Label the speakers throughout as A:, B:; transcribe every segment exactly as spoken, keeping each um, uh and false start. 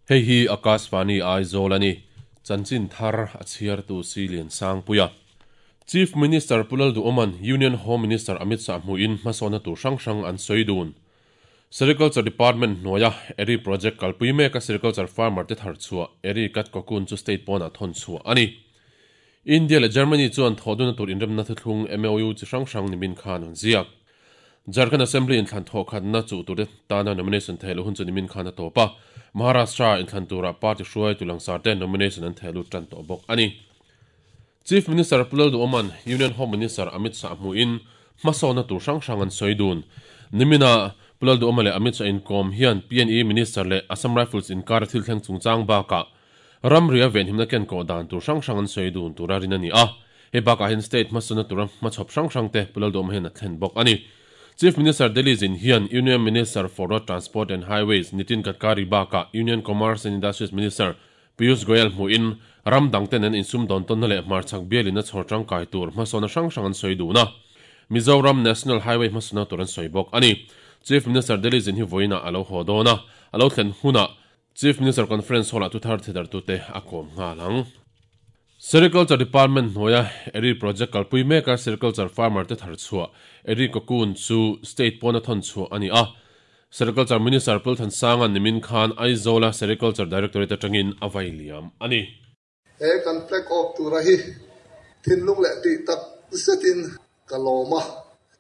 A: Hei hi Akashvani Aizawl ani chanchin thar a chhiar tu Silian Sangpuia Chief Minister Pulal Duoman Union Home Minister Amit Shah hmuin hmasawna tur hrang hrang an sawi dun Sericulture Department hnuaia Eri project kalpui meka sericulture farmer te thar chhuah Eri kat cocoon chu state pawnah thawn chhuah ani India le Germany chuan thoduna tur inremna thuthlung M O U chi hrang hrang nimin khan an ziak Jharkhand Assembly in thlan thaw khatna chu tur tana nomination theilu hun chu nimin khan a topa Maharashtra in thlan tura party hruai tu langsar te nomination an theilu tan to bawk ani Chief Minister Pulal Duoman Union Home Minister Amit Shah hmuin hmasawna tur hrang hrang an sawi dun nimina Pulal Duoman le Amit Shah in kom hian P N E Minister le Assam Rifles in kar thil thleng chungchang baka ramria ven himna ken ko dan tur hrang hrang an sawi dun tura rin ani a he baka hin state hmasawna tura hmachhawp hrang hrang te Pulal Duoman hian a thlen bawk ani Chief Minister Delhi zin hian Union Minister for Road Transport and Highways Nitin Gadkari baka Union Commerce and Industries Minister Piyush Goyal hmuin ram dangten an insum dawn tawn na leh hmarchhak bialin a chhawr tangkai tur hmasawna hrang hrang an sawi dun a Mizoram National Highway hmasawna tur an sawi bawk ani Chief Minister Delhi zin hi voina alo haw dawn a alo thlen huna Chief Minister Conference hall a tu thar thedar tu te a kawm nghalang Sericulture Department hnuaia Eri project kalpui meka sericulture farmer te thar chhuah Eri cocoon chu state pawn a thawn chhuah ani a Sericulture Minister Pul Thansanga nimin khan Aizawl Sericulture Directorate atangin a vai liam ani
B: he kan flag off tura hi thinlung leh ti tak zetin kaloma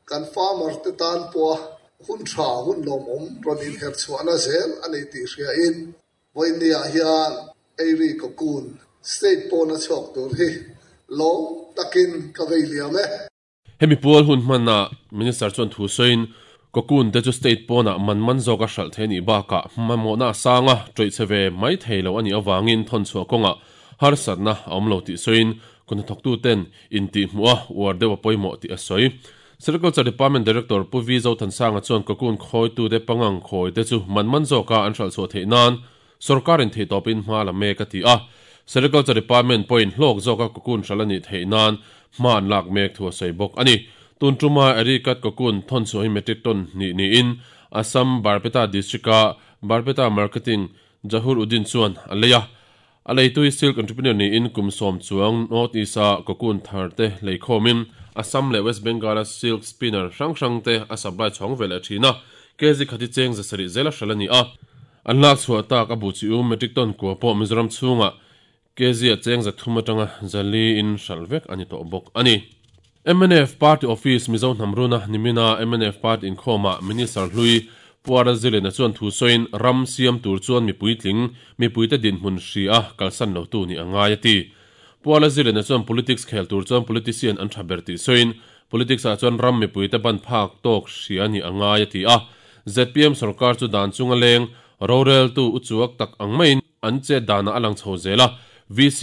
B: kan farmer te tan pawh hun tha hun lawm awm rawn in her chhuahna zel ani tih hria in vawinia hian Eri cocoon state pawn a chhuak tur hi lawm takin ka vei liam e
A: hemi pual hun hmanna minister chuan thu sawiin cocoon te chu state pawnah man man zawk a hralh thei ni bakah hmamawhna a sanga tawih chhe ve mai thei lo ani awangin thawn chhuah kawngah harsatna a awm lo tih sawiin kuna thawktu ten in tih hmuh a uar deuh a pawimawh tih a sawi Sericulture Department Director Pu V Zothansanga chuan cocoon khawitu te pangang khawi te chu man man zawka an hralh chhuah theih nan sarkarin thei tawpin hma la mek a ti a Sericulture Department point hlawk zawka cocoon hralh ani theih nan hma an lak mek thu a sawi bawk ani tun tuma Eri kat cocoon thawn chhuah hi metric ton ni ni in Assam Barpeta district a Barpeta Marketing Jahur Udin chuan a leia a leitui silk entrepreneur ni in kum sawm chuang North East a cocoon thar te leikhomin Assam le West Bengal a silk spinner hrang hrang te a supply chhawng vel a thina kg khati cheng zasari zela hralh ani a an lak chhuah tak a bu chi um metric ton kua pawh Mizoram chhunga kg a cheng zathum atanga zali in hralh vek ani tawh bawk ani M N F Party Office Mizo Hnamruna nimina M N F Party inkhawma Minister hlui Puara Zilena chuan thu sawiin ram siam tur chuan mipui tling mipui te dinhmun hria kalsan lo tu ni angai ati Puara Zilena chuan politics khel tur chuan politician an tha ber tih sawiin politics ah chuan ram mipui te ban phak tawk hria ni angai ati a Z P M sarkar chu dan chunga leng rorel tu uchuak tak ang maiin an che dana alang chho zela V C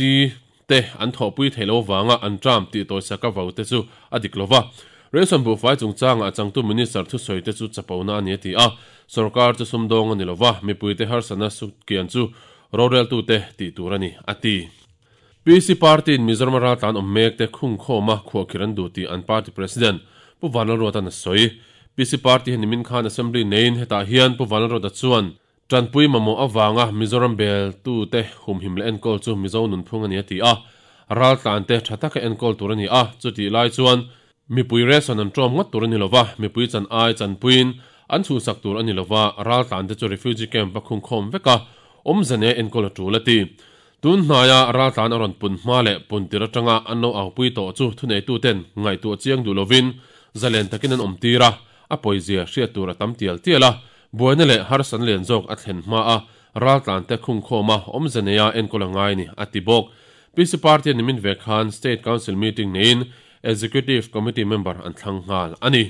A: te an thawpui theilo wanga an tram ti tawi saka vau te chu a dik lova Ration bu fai chungchanga changtu minister thu sawi te chu chapona ani ti a sarkar chu sumdawng ani lova mipui te harsana su kian chu rorel tu te ti tur ani ati P C Party in Mizoram ral tlan awm mek te khung khawma khuah khiran du ti an party president Pu Vanlalruata na sawi P C Party hi nimin khan assembly nein hetah hian Pu Vanlalruata chuan Tanpui mamo awanga Mizoram bel tu te humhim le enkawl chu Mizo nun phung ani ati a ral tlan te thataka enkawl tur ani a chuti lai chuan mipui ration an tawm ngawt tur ani lova mipui chan ai chanpuin an chu sak tur ani lova ral tlan te chu refugee camp a khung khawm veka awmzane enkawl a tul ati tun hnaiah ral tlan a rawn pun hma leh pun tir atanga an lo au pui tawh chu thunei tu ten ngaih tu chiang du lovin zalen takin an awm tir a a pawizia hriat tur a tam tial tial a buaina leh harsan lian zawk a thlen hma a ral tlan te khung khawma awmzaneia enkawl a ngai ni ati bawk P C Party nimin ve khan State Council meeting nein Executive Committee member an thlang nghal ani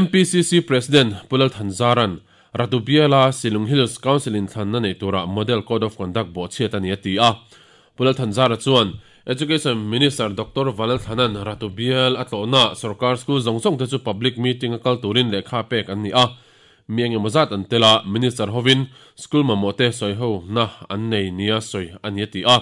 A: M P C C President Pulal Thanzaran Ratubiala Silung Hills Council in thlanna nei tura Model Code of Conduct bo chhiat ani ati a Pulal Thanzara chuan Education Minister Doctor Vanal Thanan Ratubial atlona sarkar school zawng zawng te chu public meeting a kal turin lehkha pek an ni a mieng emawzat an tela Minister hovin school mamote sawi ho na an nei nia sawi ani ati a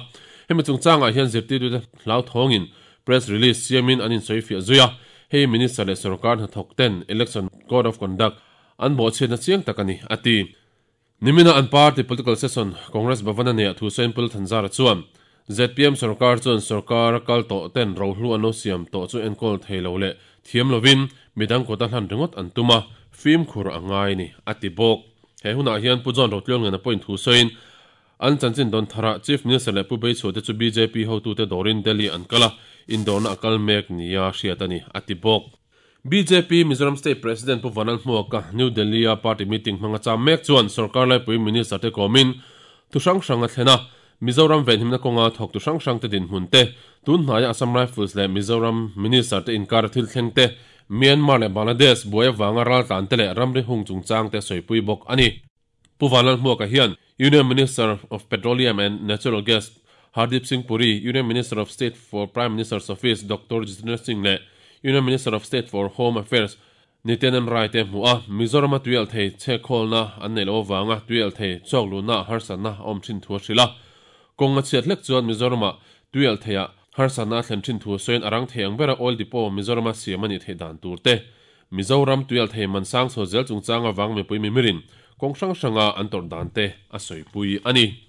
A: hemi chungchangah hian zirtirtu te hlau thawngin press release siamin an in sawi fiah zuia hei minister leh sarkar hnathawk ten election code of conduct an bo chhiatna chiang tak ani ati Nimina an party political session Congress Bhavana ne thu sawiin Pu Lal Thanzara chuan Z P M sarkar chuan sarkar kal tawh ten rohlu an lo siam tawh chu enkawl thei lo leh thiam lovin midang kawta hlan ringawt an tum a, fimkhur a ngai ni a ti bawk. He hunah hian Pu John Rotluangliana pawhin thu sawiin an chanchin dawn tharah Chief Minister leh Pu Beichhuah te chu B J P hotute dawrin Delhi an kal a, indawrna a kal mek nia hriat a ni a ti bawk. B J P Mizoram State President Pu Vanlalhmuaka New Delhi a party meeting hmanga cham mek chuan sarkar laipui minister te kawmin thu hrang hrang a thlen a, Mizoram venhimna kawnga thawktu hrang hrang te dinhmun te, tun hnaia Assam Rifles leh Mizoram minister te inkar thil thleng te, Myanmar leh Bangladesh buai avanga raltlan te leh ramri hung chungchang te sawipui bawk a ni. Pu Vanlalhmuaka hian Union Minister of Petroleum and Natural Gas Hardeep Singh Puri, Union Minister of State for Prime Minister's Office Doctor Jitendra Singh leh Union Minister of State for Home Affairs Nityanand Rai te hmu a, Mizorama tuialhthei chhekhawlna an nei lo avanga tuialhthei chawk luhna harsatna a awm thin thu a hrilh a. Kawng a chhiat hlek chuan Mizorama tuialhtheiah harsatna a thlen thin thu sawiin a rang thei ang bera oil depot Mizorama siam a nih theih dan tur te, Mizoram tuialhthei man sang chho zel chungchang avang mipui mimirin kawng hrang hranga an tawrh dan te a sawipui a ni.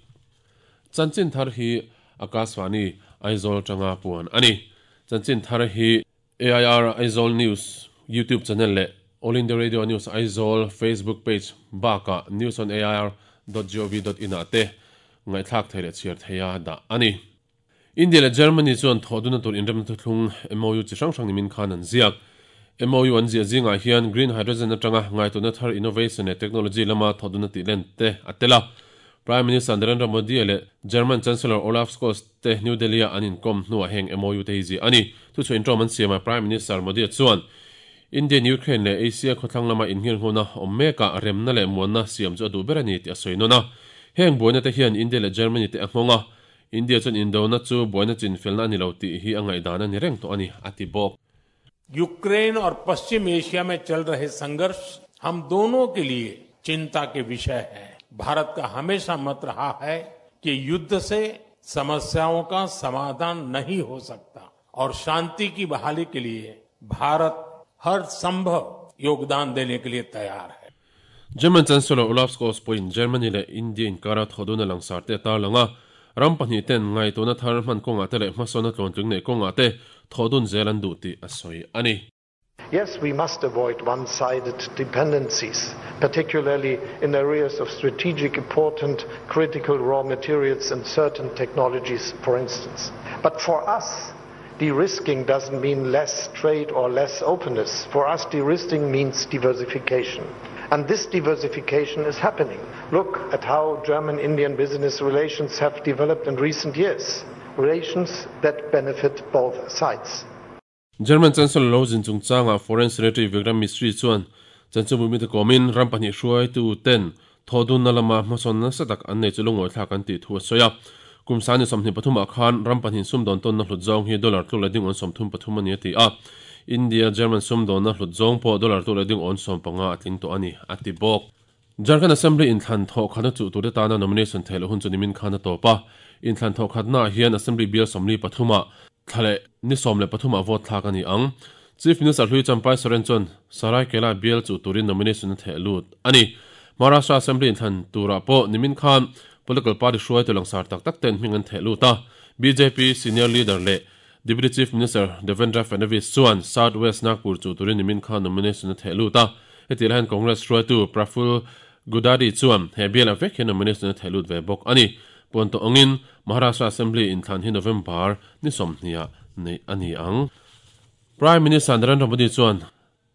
A: Chanchin thar hi Akashvani Aizawl tanga puan a ni. Chanchin thar hi A I R Aizawl News YouTube channel leh All India Radio News Aizawl Facebook page bakah news on A I R dot gov dot in ah te ngaihthlak thei leh chhiar theia dah a ni. India leh Germany chuan thawhduna tur inremna thuthlung M O U chi hrang hrang nimin khan an ziak. M O U an ziah zingah hian green hydrogen atanga ngaituna thar innovation leh technology lama thawhduna tih len te a tel a. Prime Minister Narendra Modi leh German Chancellor Olaf Scholz te New Delhi a an inkom hnuah heng M O U te hi ziah a ni. Thu chu intawm an siam a, Prime Minister Modi chuan Indian Ukraine leh Asia khawthlang lama innghirnghona awm mekah remna leh muanna siam chu a duh ber a ni tih a sawi nawn a. Heng buaina te hian India leh Germany te a nghawng a, India chuan indona chu buaina chinfelna a ni lo tih hi a ngaihdan a ni reng tawh a ni a ti bawk.
C: Ukraine और पश्चिम एशिया में चल रहे संघर्ष हम दोनों के लिए चिंता के विषय है। भारत का हमेशा मत रहा है कि युद्ध से समस्याओं का समाधान नहीं हो सकता और शांति की बहाली के लिए भारत हर संभव योगदान देने के लिए तैयार है।
A: German Chancellor Olaf Scholz pawhin Germany leh India inkara thawhduna langsar te a tarlang a, ram pahnih ten ngaituna thar hman kawngah te leh hmasawna tluantling nei kawngah te thawhdun zel an duh tih a sawi a ni.
D: Yes, we must avoid one-sided dependencies, particularly in areas of strategic important critical raw materials and certain technologies, for instance. But for us, de-risking doesn't mean less trade or less openness. For us, de-risking means diversification. And this diversification is happening. Look at how German-Indian business relations have developed in recent years. Relations that benefit both sides.
A: German Chancellor lo zin chungchanga Foreign Secretary Vikram Misri chuan chanchinbu mi te kawmin ram pahnih hruaitu ten thawhdun na lama hmasawn nasa tak an nei chu lungawi thlak an tih thu a sawi a. Kum sani sawmhnih pathumah khan ram pahnih sumdawn tawn na hlut zawng hi dollar tluk leh ding awn sawmthum pathum a ni a ti a. India German sumdawn na hlut zawng pawh dollar tluk leh ding awn sawm panga a tling tawh a ni a ti bawk. Jharkhand Assembly inthlan thawh khatna chu tur te tana nomination theih loh hun chu nimin khan a tawp a. Inthlan thawh khatna hian Assembly bial sawmli pathuma thlale ni sawm leh pathuma vote thlak a ni ang. Chief Minister hlui Champai Soren chuan Saraikela bial chu turin nomination a theh lut a ni. Maharashtra Assembly inthlan turah pawh nimin khan political party hruai tu langsar tak tak ten hming an theh lut a. B J P senior leader leh Deputy Chief Minister Devendra Fadnavis chuan South West Nagpur chu turin nimin khan nomination a theh lut a. Heti lahin Congress hruaitu Praful Gudadi chuan he bial a vek hian nomination a theh lut ve bawk a ni. Puan tawh angin Maharashtra Assembly inthlan hi November ni sawmhnih nei a ni ang. Prime Minister Narendra Modi chuan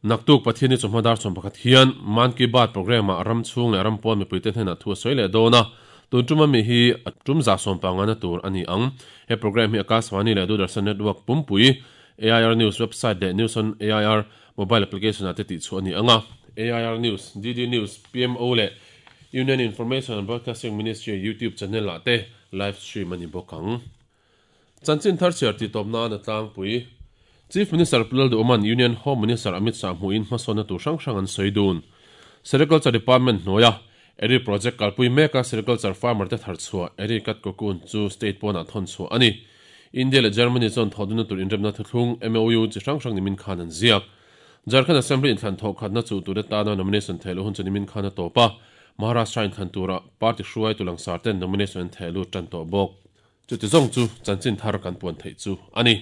A: naktuk Pathianni chawhma dar sawm pakhat hian Mann Ki Baat program ah ram chhung leh ram pawn mipui te hnenah thu a sawi leh dawn a. Tun tuma mi hi a tum za sawm panga na tur a ni ang. He program hi Akashvani leh Doordarshan Network pumpui, A I R News website leh News on A I R mobile application ah te tih chu a ni ang a. A I R News, D D News, P M O leh Union Information and Broadcasting Ministry YouTube channel ah te live stream a ni bawk ang. Chanchin thar chhiar tih tawp nan a tlangpui. Chief Minister Pu Lalduhoma'n Union Home Minister Amit Shah hmuhin hmasawnna tur hrang hrang an sawi dun. Sericulture Department hnuaia Eri project kalpui meka sericulture farmer te thar chhuah Eri cut cocoon chu state pawnah thawn chhuah a ni. India leh Germany chuan thawhduna tur inremna thuthlung M O U chi hrang hrang nimin khan an ziak. Jharkhand Assembly inthlan thawh khatna chu tur te tana nomination theih loh hun chu nimin khan a tawp a. Maharashtra in thlan tura party hruai tu langsar ten nomination an theh lut tan tawh bawk. Chuti zawng chu chanchin thar kan puan theih chu ani.